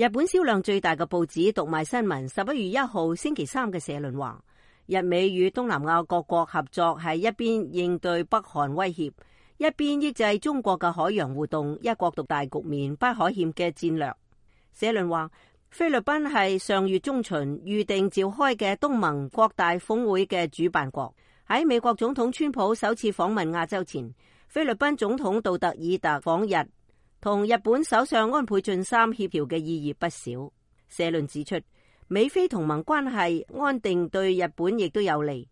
日本銷量最大嘅報紙讀賣新聞11月1號星期三嘅社論話，日美與東南亞各國合作係一邊應對北韓威脅，一邊抑制中國嘅海洋活動，一國獨大局面不可欠嘅戰略。社論話，菲律賓係上月中旬預定召開嘅東盟擴大峰會嘅主辦國。喺美國總統川普首次訪問亞洲前，菲律賓總統杜特爾特訪日，同日本首相安倍晉三協調嘅意義不少。社論指出，美菲同盟關係安定對日本亦都有利。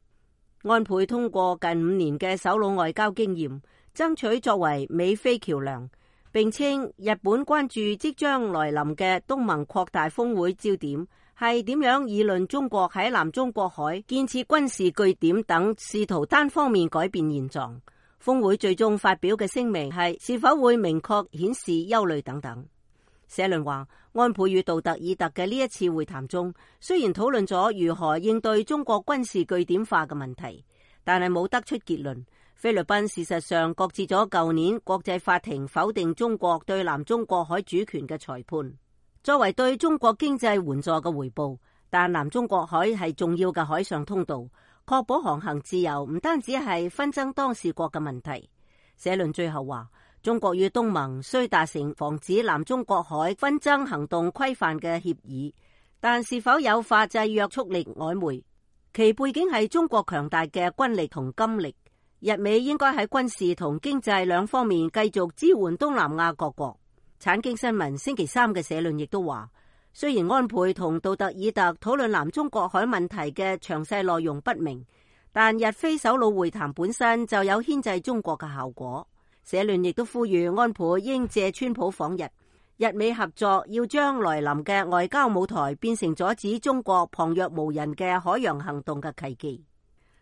安倍通過近5年嘅首腦外交經驗，爭取作為美菲橋樑，並稱日本關注即將來臨嘅東盟擴大峰會焦點係點樣議論中國喺南中國海建設軍事據點等，試圖單方面改變現狀。峰會最終發表嘅聲明係是否會明確顯示憂慮等等。社論話，安倍與杜特爾特嘅呢一次會談中，雖然討論咗如何應對中國軍事據點化嘅問題，但係冇得出結論。菲律賓事實上擱置咗舊年國際法庭否定中國對南中國海主權嘅裁判，作為對中國經濟援助嘅回報。但南中國海係重要嘅海上通道，確保航行自由唔單止係紛爭當事國嘅問題。社論最後話，中國與東盟雖達成防止南中國海紛爭行動規範嘅協議，但是否有法制約束力曖昧。其背景係中國強大嘅軍力同金力，日美應該喺軍事同經濟兩方面繼續支援東南亞各國。產經新聞星期三嘅社論亦都話，雖然安倍同杜特爾特討論南中國海問題嘅詳細內容不明，但日菲首腦會談本身就有牽制中國嘅效果。社論亦都呼籲安倍應借川普訪日，日美合作要將來臨嘅外交舞台變成阻止中國旁若無人嘅海洋行動嘅契機。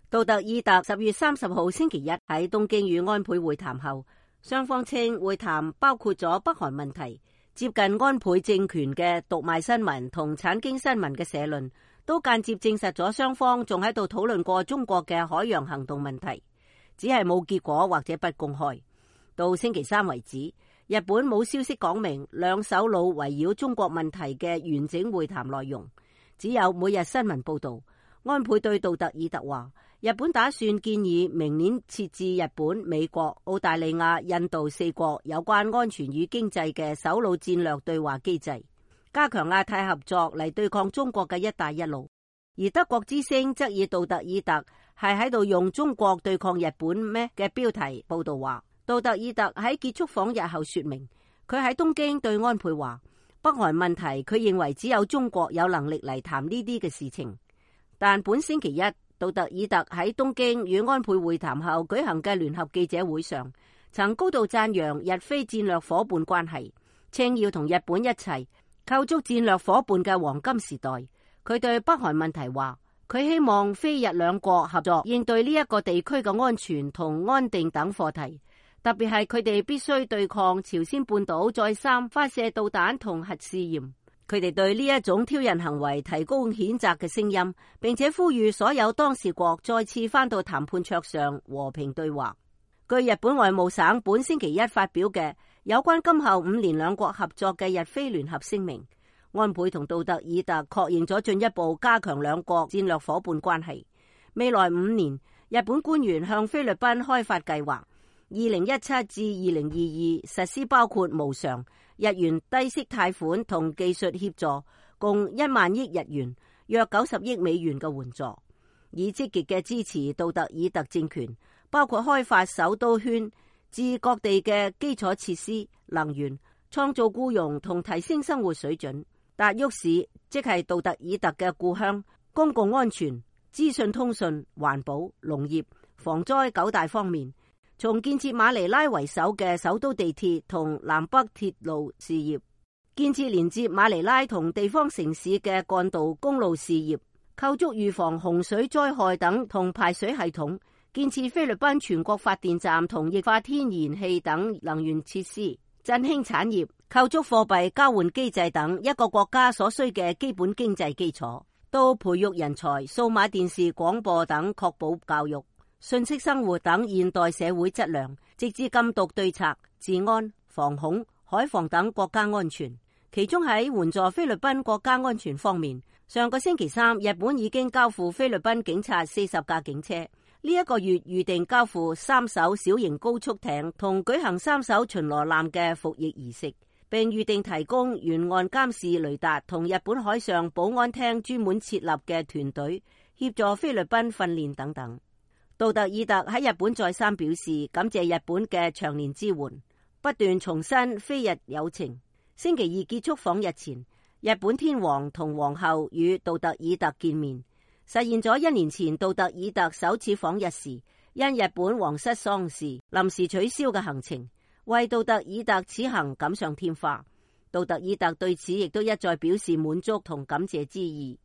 杜特爾特10月30號星期一喺東京與安倍會談後，雙方稱會談包括咗北韓問題。接近安倍政權嘅讀賣新聞同產經新聞嘅社論都間接證實咗雙方仲喺度討論過中國嘅海洋行動問題，只係冇結果或者不公開。到星期三為止，日本冇消息講明兩首腦圍繞中國問題嘅完整會談內容，只有每日新聞報道。安倍對杜特爾特話，日本打算建議明年設置日本、美國、澳大利亞、印度4國有關安全與經濟嘅首腦戰略對話機制，加強亞太合作嚟對抗中國嘅一帶一路。而德國之聲則以杜特爾特係喺度用中國對抗日本咩嘅標題報道話，杜特爾特喺結束訪日後說明，佢喺東京對安倍話，北韓問題佢認為只有中國有能力嚟談呢啲嘅事情。但本星期一，杜特爾特喺東京與安倍會談後舉行嘅聯合記者會上，曾高度讚揚日菲戰略夥伴關係，稱要同日本一齊構築戰略夥伴嘅黃金時代。佢對北韓問題話，佢希望菲日兩國合作應對呢一個地區嘅安全同安定等課題，特別係佢哋必須對抗朝鮮半島再三發射導彈同核試驗。佢哋對呢一種挑釁行為提供譴責嘅聲音，並且呼籲所有當事國再次返到談判桌上和平對話。據日本外務省本星期一發表嘅有關今後5年兩國合作嘅日菲聯合聲明，安倍同杜特爾特確認咗進一步加強兩國戰略夥伴關係。未來5年，日本官員向菲律賓開發計劃，2017至2022實施包括無償日元低息貸款同技術協助，共1萬億日元，約90億美元嘅援助，以積極嘅支持杜特爾特政權，包括開發首都圈至各地嘅基礎設施、能源、創造僱傭同提升生活水準。達沃市即係杜特爾特嘅故鄉，公共安全、資訊通訊、環保、農業、防災9大方面，從建設馬尼拉為首嘅首都地鐵同南北鐵路事業，建設連接馬尼拉同地方城市嘅幹道公路事業，構築預防洪水災害等同排水系統，建設菲律賓全國發電站同液化天然氣等能源設施，振興產業，構築貨幣交換機制等一個國家所需嘅基本經濟基礎，到培育人才、數碼電視廣播等，確保教育、信息生活等現代社會質量，直至禁毒對策、治安、防恐、海防等國家安全。其中喺援助菲律賓國家安全方面，上個星期三，日本已經交付菲律賓警察40架警車。呢一個月預定交付3艘小型高速艇同舉行3艘巡邏艦嘅服役儀式，並預定提供沿岸監視雷達同日本海上保安廳專門設立嘅團隊協助菲律賓訓練等等。杜特爾特喺日本再三表示感謝日本嘅長年支援，不斷重申菲日友情。星期二結束訪日前，日本天皇同皇后與杜特爾特見面，實現咗1年前杜特爾特首次訪日時因日本皇室喪事臨時取消嘅行程，為杜特爾特此行錦上添花。杜特爾特對此亦都一再表示滿足同感謝之意。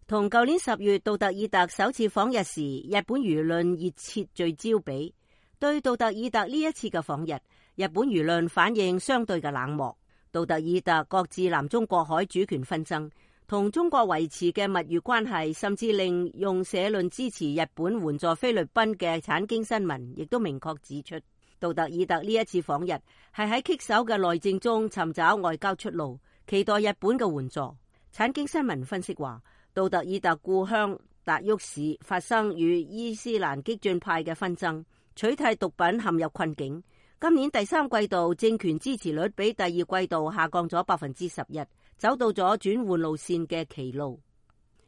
同舊年10月杜特爾特首次訪日時，日本輿論熱切聚焦比，對杜特爾特呢一次嘅訪日，日本輿論反應相對嘅冷漠。杜特爾特擱置南中國海主權紛爭，同中國維持嘅蜜月關係，甚至令用社論支持日本援助菲律賓嘅產經新聞，亦都明確指出，杜特爾特呢一次訪日係喺棘手嘅內政中尋找外交出路，期待日本嘅援助。產經新聞分析話，杜特爾特故鄉達沃市發生與伊斯蘭激進派嘅紛爭，取締毒品陷入困境。今年第3季度政權支持率比第2季度下降咗11%，走到咗轉換路線嘅歧路。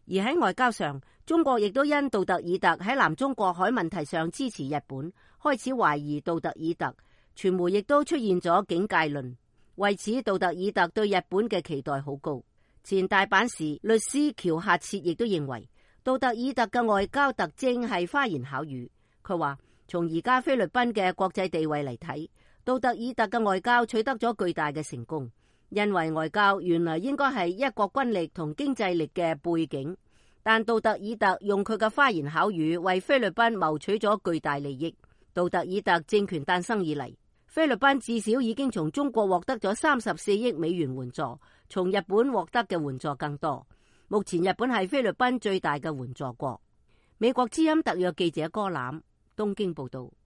而喺外交上，中國亦都因杜特爾特喺南中國海問題上支持日本，開始懷疑杜特爾特。傳媒亦都出現咗警戒論，為此杜特爾特對日本嘅期待好高。前大阪市律師喬夏切亦都認為，杜特爾特嘅外交特徵係花言巧語。佢話，從而家菲律賓嘅國際地位嚟睇，杜特爾特嘅外交取得咗巨大嘅成功，因為外交原來應該係一國軍力同經濟力嘅背景，但杜特爾特用佢嘅花言巧語為菲律賓謀取咗巨大利益。杜特爾特政權誕生以嚟，菲律賓至少已經從中國獲得咗34億美元援助，從日本獲得嘅援助更多。目前日本係菲律賓最大嘅援助國。美國之音特約記者柯攬東京報道。